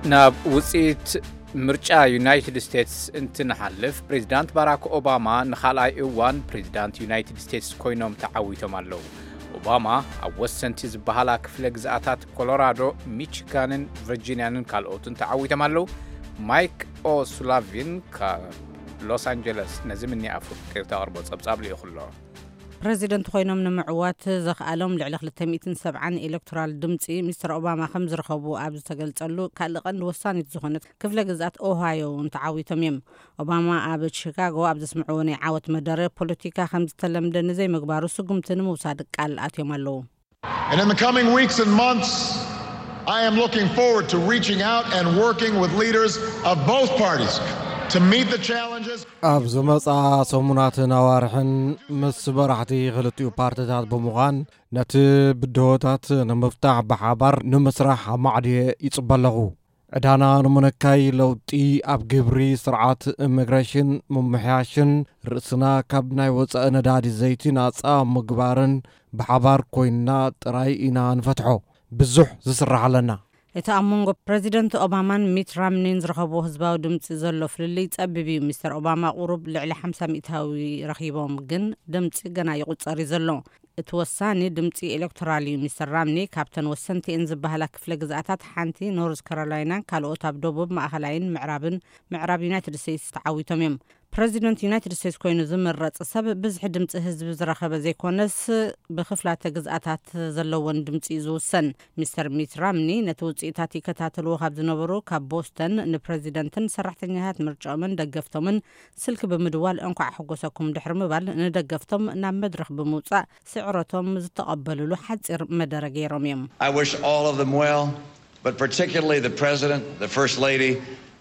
ናብ ውፅኢት ምርጫ ዩናይትድ ስቴትስ እንትንሓልፍ፣ ፕሬዚዳንት ባራክ ኦባማ ንኻልኣይ እዋን ፕሬዚዳንት ዩናይትድ ስቴትስ ኮይኖም ተዓዊቶም ኣለዉ። ኦባማ ኣብ ወሰንቲ ዝበሃላ ክፍለ ግዝኣታት ኮሎራዶ፣ ሚቺጋንን ቨርጂንያንን ካልኦትን ተዓዊቶም ኣለዉ። ማይክ ኦሱላቪን ካብ ሎስ ኣንጀለስ ነዚ ምኒ ኣፍሪቃ ተቕርቦ ጸብጻብ ልኢኹ ኣሎ። ፕረዚደንት ኮይኖም ንምዕዋት ዘኽኣሎም ልዕሊ ክልተ ሚእትን ሰብዓን ኤሌክቶራል ድምፂ ሚስተር ኦባማ ከም ዝረኸቡ ኣብ ዝተገልጸሉ ካልእ ቀንዲ ወሳኒት ዝኾነት ክፍለ ግዝኣት ኦሃዮ እውን ተዓዊቶም እዮም። ኦባማ ኣብ ቺካጎ ኣብ ዘስምዕዎ ናይ ዓወት መደረ፣ ፖለቲካ ከም ዝተለምደ ንዘይምግባሩ ስጉምቲ ንምውሳድ ቃል ኣትዮም ኣለዉ። And in the coming weeks and months, I am looking forward to reaching out and working with leaders of both parties to meet the challenges. ኣብ ዝመጻ ሰሙናትን ኣዋርሕን ምስ መራሕቲ ክልቲኡ ፓርቲታት ብምዃን ነቲ ብድሆታት ንምፍታሕ ብሓባር ንምስራሕ ኣማዕድየ ይጽበ ኣለኹ። ዕዳና ንምንካይ ለውጢ ኣብ ግብሪ ስርዓት ኢሚግሬሽን ምምሕያሽን ርእስና ካብ ናይ ወጻኢ ነዳዲ ዘይቲ ናጻ ምግባርን ብሓባር ኮይንና ጥራይ ኢና ንፈትሖ። ብዙሕ ዝስራሕ ኣለና። እቲ ኣብ መንጎ ፕረዚደንት ኦባማን ሚት ራምኒን ዝረኸብዎ ህዝባዊ ድምፂ ዘሎ ፍልልይ ጸቢብ እዩ። ሚስተር ኦባማ ቁሩብ ልዕሊ ሓምሳ ሚእታዊ ረኺቦም፣ ግን ድምፂ ገና ይቑጸር እዩ ዘሎ። እቲ ወሳኒ ድምፂ ኤሌክቶራል እዩ። ሚስተር ራምኒ ካብተን ወሰንቲ እየን ዝበሃላ ክፍለ ግዝኣታት ሓንቲ ኖርዝ ካሮላይናን ካልኦት ኣብ ደቡብ፣ ማእኸላይን ምዕራብን ምዕራብ ዩናይትድ ስቴትስ ተዓዊቶም እዮም። ፕረዚደንት ዩናይትድ ስቴትስ ኮይኑ ዝምረጽ ሰብ ብዝሒ ድምፂ ህዝቢ ዝረኸበ ዘይኮነስ፣ ብክፍላተ ግዝኣታት ዘለወን ድምፂ እዩ ዝውሰን። ሚስተር ሚት ራምኒ ነቲ ውፅኢታት ይከታተልዎ ካብ ዝነበሩ ካብ ቦስተን ንፕረዚደንትን ሰራሕተኛታት ምርጫኦምን ደገፍቶምን ስልኪ ብምድዋል እንኳዕ ሓጎሰኩም ድሕሪ ምባል፣ ንደገፍቶም ናብ መድረኽ ብምውፃእ ስዕረቶም ዝተቐበልሉ ሓፂር መደረ ገይሮም እዮም። I wish all of them well, but particularly the President, the First Lady,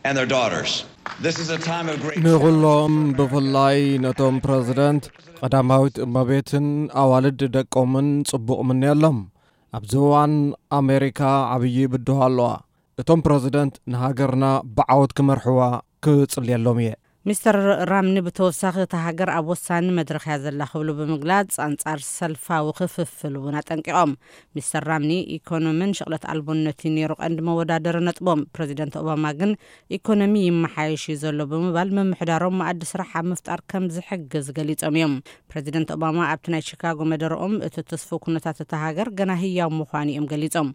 and their daughters. This is a time of great ንኹሎም፣ ብፍላይ ነቶም ፕረዚደንት፣ ቀዳማዊት እመቤትን ኣዋልድ ደቆምን ጽቡቕ ምንየሎም። ኣብዚ እዋን ኣሜሪካ ዓብዪ ብድሆ ኣለዋ። እቶም ፕረዚደንት ንሃገርና ብዓወት ክመርሕዋ ክጽልየሎም እየ። ሚስተር ራምኒ ብተወሳኺ፣ እታ ሃገር ኣብ ወሳኒ መድረኽ እያ ዘላ ክብሉ ብምግላጽ፣ ኣንጻር ሰልፋዊ ክፍፍል እውን ኣጠንቂቖም። ሚስተር ራምኒ፣ ኢኮኖምን ሽቕለት ኣልቦነት እዩ ነይሩ ቀንዲ መወዳደሪ ነጥቦም። ፕረዚደንት ኦባማ ግን፣ ኢኮኖሚ ይመሓየሽ እዩ ዘሎ ብምባል፣ ምምሕዳሮም መኣዲ ስራሕ ኣብ ምፍጣር ከም ዝሕግዝ ገሊጾም እዮም። ፕረዚደንት ኦባማ ኣብቲ ናይ ቺካጎ መደረኦም፣ እቲ ትስፉው ኩነታት እታ ሃገር ገና ህያው ምዃኑ እዮም ገሊጾም።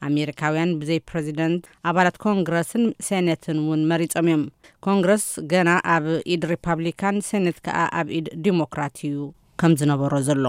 ኣሜሪካውያን ብዘይ ፕረዚደንት፣ ኣባላት ኮንግረስን ሴኔትን እውን መሪጾም እዮም። ኮንግረስ ገና ኣብ ኢድ ሪፓብሊካን፣ ሴኔት ከኣ ኣብ ኢድ ዲሞክራት እዩ ከም ዝነበሮ ዘሎ።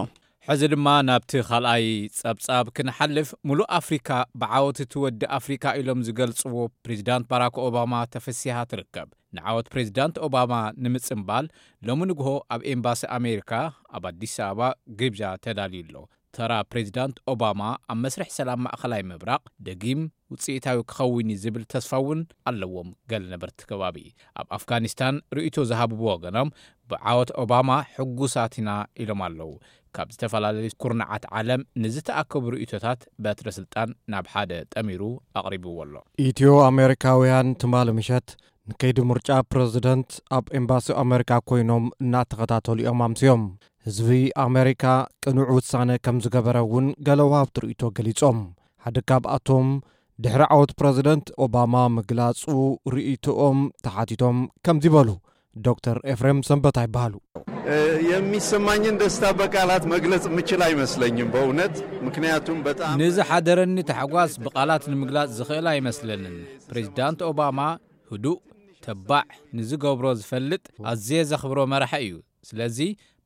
ሕዚ ድማ ናብቲ ካልኣይ ጸብጻብ ክንሓልፍ፣ ሙሉእ ኣፍሪካ ብዓወት እቲ ወዲ ኣፍሪካ ኢሎም ዝገልጽዎ ፕሬዚዳንት ባራክ ኦባማ ተፈሲሃ ትርከብ። ንዓወት ፕሬዚዳንት ኦባማ ንምጽምባል፣ ሎሚ ንግሆ ኣብ ኤምባሲ ኣሜሪካ ኣብ ኣዲስ ኣበባ ግብዣ ተዳልዩ ኣሎ። ተራ ፕሬዚዳንት ኦባማ ኣብ መስርሕ ሰላም ማእኸላይ ምብራቕ ደጊም ውፅኢታዊ ክኸውን እዩ ዝብል ተስፋ እውን ኣለዎም። ገለ ነበርቲ ከባቢ ኣብ ኣፍጋኒስታን ርእይቶ ዝሃብዎ ወገኖም፣ ብዓወት ኦባማ ሕጉሳት ኢና ኢሎም ኣለዉ። ካብ ዝተፈላለዩ ኩርናዓት ዓለም ንዝተኣከቡ ርእይቶታት፣ በትረ ስልጣን ናብ ሓደ ጠሚሩ ኣቕሪብዎ ኣሎ። ኢትዮ ኣሜሪካውያን ትማሊ ምሸት ንከይዲ ምርጫ ፕረዚደንት ኣብ ኤምባሲ ኣሜሪካ ኮይኖም እናተኸታተሉ እዮም ኣምስዮም። ህዝቢ ኣሜሪካ ቅኑዕ ውሳነ ከም ዝገበረ እውን ገለ ወሃብቲ ርእይቶ ገሊጾም። ሓደ ካብኣቶም ድሕሪ ዓወት ፕረዚደንት ኦባማ ምግላጹ ርእይቶኦም ተሓቲቶም ከምዚ በሉ። ዶክተር ኤፍሬም ሰንበታ ይበሃሉ። የሚሰማኝን ደስታ በቃላት መግለጽ የምችል አይመስለኝም በእውነት። ምክንያቱም በጣም ንዝሓደረኒ ታሕጓስ ብቓላት ንምግላጽ ዝኽእል ኣይመስለንን። ፕሬዚዳንት ኦባማ ህዱእ፣ ተባዕ፣ ንዝገብሮ ዝፈልጥ፣ ኣዝየ ዘኽብሮ መራሒ እዩ። ስለዚ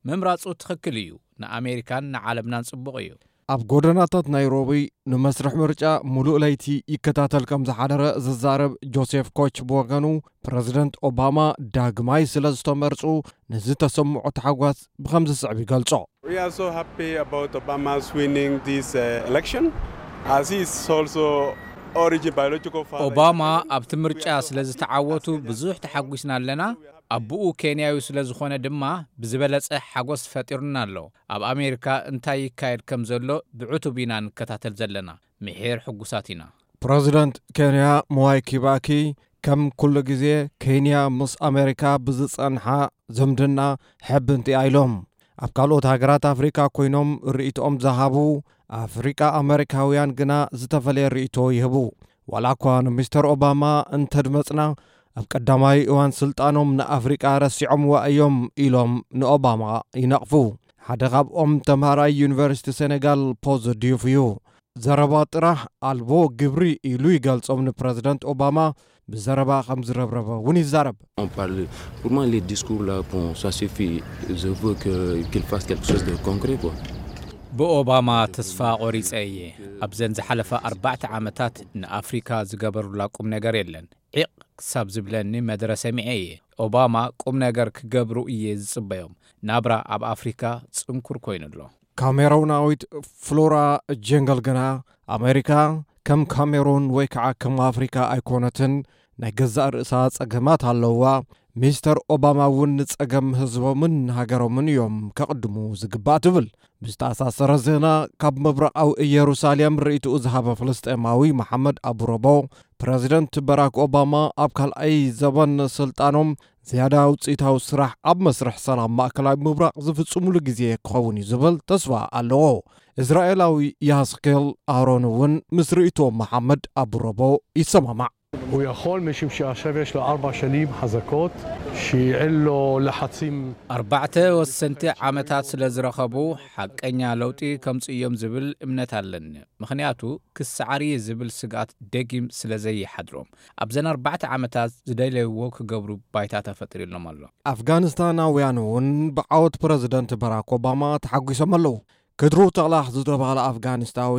ምምራጹ ትኽክል እዩ። ንኣሜሪካን ንዓለምናን ጽቡቕ እዩ። ኣብ ጎደናታት ናይሮቢ ንመስርሕ ምርጫ ሙሉእ ለይቲ ይከታተል ከም ዝሓደረ ዝዛረብ ጆሴፍ ኮች ብወገኑ፣ ፕረዚደንት ኦባማ ዳግማይ ስለ ዝተመርጹ ንዝተሰምዖ ታሕጓስ ብኸምዚ ዝስዕብ ይገልጾ። We are so happy about Obama's winning this uh, election, as he is also origin biological father. ኦባማ ኣብቲ ምርጫ ስለ ዝተዓወቱ ብዙሕ ተሓጒስና ኣለና። ኣቦኡ ኬንያዊ ስለ ዝኾነ ድማ ብዝበለጸ ሓጎስ ፈጢሩና ኣሎ። ኣብ ኣሜሪካ እንታይ ይካየድ ከም ዘሎ ብዕቱብ ኢና ንከታተል ዘለና። ምሒር ሕጉሳት ኢና። ፕረዚደንት ኬንያ ምዋይ ኪባኪ፣ ከም ኩሉ ግዜ ኬንያ ምስ ኣሜሪካ ብዝጸንሓ ዝምድና ሕብንቲ እያ ኢሎም። ኣብ ካልኦት ሃገራት ኣፍሪካ ኮይኖም ርእይቶኦም ዝሃቡ ኣፍሪቃ ኣሜሪካውያን ግና ዝተፈለየ ርእይቶ ይህቡ። ዋላ እኳ ንሚስተር ኦባማ እንተድመጽና፣ ኣብ ቀዳማይ እዋን ስልጣኖም ንኣፍሪቃ ረሲዖምዋ እዮም ኢሎም ንኦባማ ይነቕፉ። ሓደ ካብኦም ተምሃራይ ዩኒቨርሲቲ ሴኔጋል ፖዝ ዲዩፍ እዩ። ዘረባ ጥራሕ ኣልቦ ግብሪ ኢሉ ይገልጾም ንፕረዚደንት ኦባማ። ብዘረባ ከም ዝረብረበ እውን ይዛረብ። On parle. Pour moi, les discours là, bon, ça suffit. Je veux que, qu'il fasse quelque chose de concret, quoi. ብኦባማ ተስፋ ቆሪጸ እየ። ኣብዘን ዝሓለፋ ኣርባዕተ ዓመታት ንኣፍሪካ ዝገበሩላ ቁም ነገር የለን። ዒቕ ክሳብ ዝብለኒ መደረ ሰሚዐ እየ። ኦባማ ቁም ነገር ክገብሩ እየ ዝጽበዮም። ናብራ ኣብ ኣፍሪካ ጽንኩር ኮይኑ ኣሎ። ካሜሮናዊት ፍሎራ ጀንገል ግና፣ ኣሜሪካ ከም ካሜሩን ወይ ከዓ ከም ኣፍሪካ ኣይኮነትን፣ ናይ ገዛእ ርእሳ ጸገማት ኣለዋ። ሚስተር ኦባማ እውን ንጸገም ህዝቦምን ሃገሮምን እዮም ከቕድሙ ዝግባእ ትብል። ብዝተኣሳሰረ ዜና፣ ካብ ምብራቓዊ ኢየሩሳሌም ርእይትኡ ዝሃበ ፍልስጤማዊ መሓመድ ኣቡረቦ፣ ፕረዚደንት በራክ ኦባማ ኣብ ካልኣይ ዘበን ስልጣኖም ዝያዳ ውፅኢታዊ ስራሕ ኣብ መስርሕ ሰላም ማእከላይ ምብራቕ ዝፍጽሙሉ ግዜ ክኸውን እዩ ዝብል ተስፋ ኣለዎ። እስራኤላዊ ያስኬል ኣሮን እውን ምስ ርእይቶ መሓመድ ኣቡረቦ ይሰማማዕ። הוא יכול משום שעכשיו יש לו ארבע שנים חזקות שאין לו לחצים. ኣርባዕተ ወሰንቲ ዓመታት ስለ ዝረኸቡ ሓቀኛ ለውጢ ከምጽእ እዮም ዝብል እምነት ኣለኒ። ምኽንያቱ ክሰዓር እየ ዝብል ስግኣት ደጊም ስለ ዘይሓድሮም፣ ኣብዘን ኣርባዕተ ዓመታት ዝደለይዎ ክገብሩ ባይታ ተፈጢሩሎም ኣሎ። ኣፍጋኒስታናውያን እውን ብዓወት ፕረዚደንት በራክ ኦባማ ተሓጒሶም ኣለዉ። ክድሩ ተቕላኽ ዝተባህለ ኣፍጋኒስታዊ፣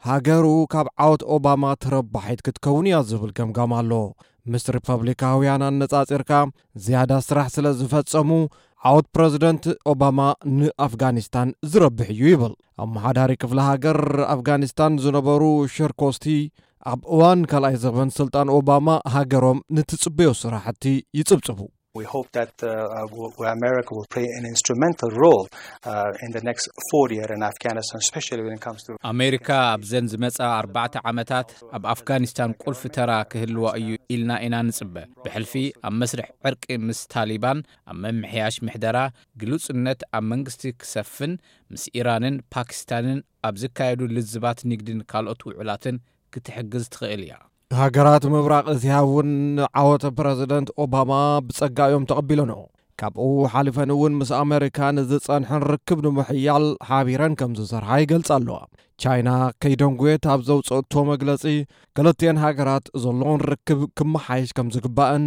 ሃገሩ ካብ ዓወት ኦባማ ተረባሒት ክትከውን እያ ዝብል ገምጋም ኣሎ። ምስ ሪፐብሊካውያን ኣነጻጺርካ፣ ዝያዳ ስራሕ ስለ ዝፈጸሙ፣ ዓወት ፕረዚደንት ኦባማ ንኣፍጋኒስታን ዝረብሕ እዩ ይብል። ኣመሓዳሪ ክፍለ ሃገር ኣፍጋኒስታን ዝነበሩ ሸርኮስቲ፣ ኣብ እዋን ካልኣይ ዘበን ስልጣን ኦባማ፣ ሃገሮም ንትጽበዮ ስራሕቲ ይጽብጽቡ። We hope that uh, uh, w- America will play an instrumental role uh, in the next four year in Afghanistan, especially when it comes to ኣሜሪካ ኣብዘን ዝመጻ ኣርባዕተ ዓመታት ኣብ ኣፍጋኒስታን ቁልፊ ተራ ክህልዋ እዩ ኢልና ኢና ንጽበ። ብሕልፊ ኣብ መስርሕ ዕርቂ ምስ ታሊባን፣ ኣብ ምምሕያሽ ምሕደራ፣ ግሉጽነት ኣብ መንግስቲ ክሰፍን፣ ምስ ኢራንን ፓኪስታንን ኣብ ዝካየዱ ልዝባት ንግድን ካልኦት ውዕላትን ክትሕግዝ ትኽእል እያ። ሃገራት ምብራቕ እስያ እውን ዓወት ፕረዚደንት ኦባማ ብጸጋ እዮም ተቐቢለንኦ። ካብኡ ሓሊፈን እውን ምስ ኣመሪካ ንዝጸንሐን ርክብ ንምሕያል ሓቢረን ከም ዝሰርሓ ይገልጻ ኣለዋ። ቻይና ከይደንጉየት ኣብ ዘውፅእቶ መግለጺ፣ ክልቲኤን ሃገራት ዘለዎን ርክብ ክመሓየሽ ከም ዝግባእን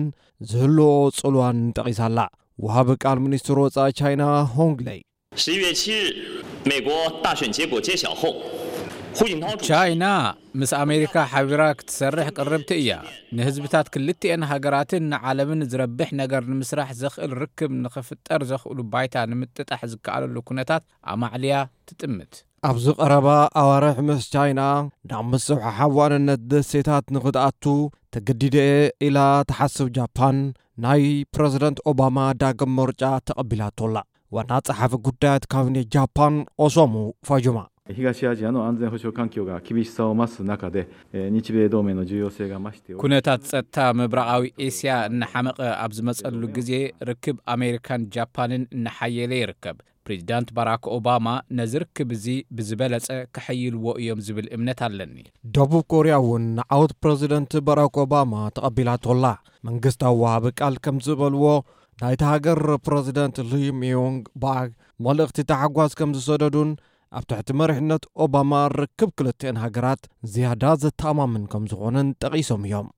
ዝህልዎ ጽልዋን ጠቒሳ ኣላ። ወሃቢ ቃል ሚኒስትር ወጻኢ ቻይና ሆንግ ለይ። 十一月七日，美国大选结果揭晓后，胡锦涛主席 ቻይና ምስ ኣሜሪካ ሓቢራ ክትሰርሕ ቅርብቲ እያ። ንህዝብታት ክልቲኤን ሃገራትን ንዓለምን ዝረብሕ ነገር ንምስራሕ ዘኽእል ርክብ ንኽፍጠር ዘኽእሉ ባይታ ንምጥጣሕ ዝከኣለሉ ኩነታት ኣማዕልያ ትጥምት። ኣብዚ ቀረባ ኣዋርሕ ምስ ቻይና ናብ ምስሕሓብ ዋንነት ደሴታት ንኽትኣቱ ተገዲደ እየ ኢላ ትሓስብ ጃፓን፣ ናይ ፕረዚደንት ኦባማ ዳግም ምርጫ ተቐቢላቶ ኣላ። ዋና ጸሓፊ ጉዳያት ካቢኔት ጃፓን ኦሶሙ ፋጁማ። 東アジアの安全保障環境が厳しさを増す中で、えー日米同盟の重要性が増しており、 ኩነታት ጸጥታ ምብራቓዊ ኤስያ እናሓመቐ ኣብ ዝመጸሉ ግዜ፣ ርክብ ኣሜሪካን ጃፓንን እናሓየለ ይርከብ። ፕሬዚዳንት ባራክ ኦባማ ነዚ ርክብ እዚ ብዝበለጸ ከሐይልዎ እዮም ዝብል እምነት ኣለኒ። ደቡብ ኮርያ እውን ንዓወት ፕረዚደንት ባራክ ኦባማ ተቐቢላቶ ኣላ። መንግስታዊ ወሃቢ ቃል ከም ዝበልዎ፣ ናይቲ ሃገር ፕረዚደንት ሊ ሚዮንግ ባክ መልእኽቲ ታሕጓስ ከም ዝሰደዱን ኣብ ትሕቲ መሪሕነት ኦባማ ርክብ ክልቲኤን ሃገራት ዝያዳ ዘተኣማምን ከም ዝኾነን ጠቒሶም እዮም።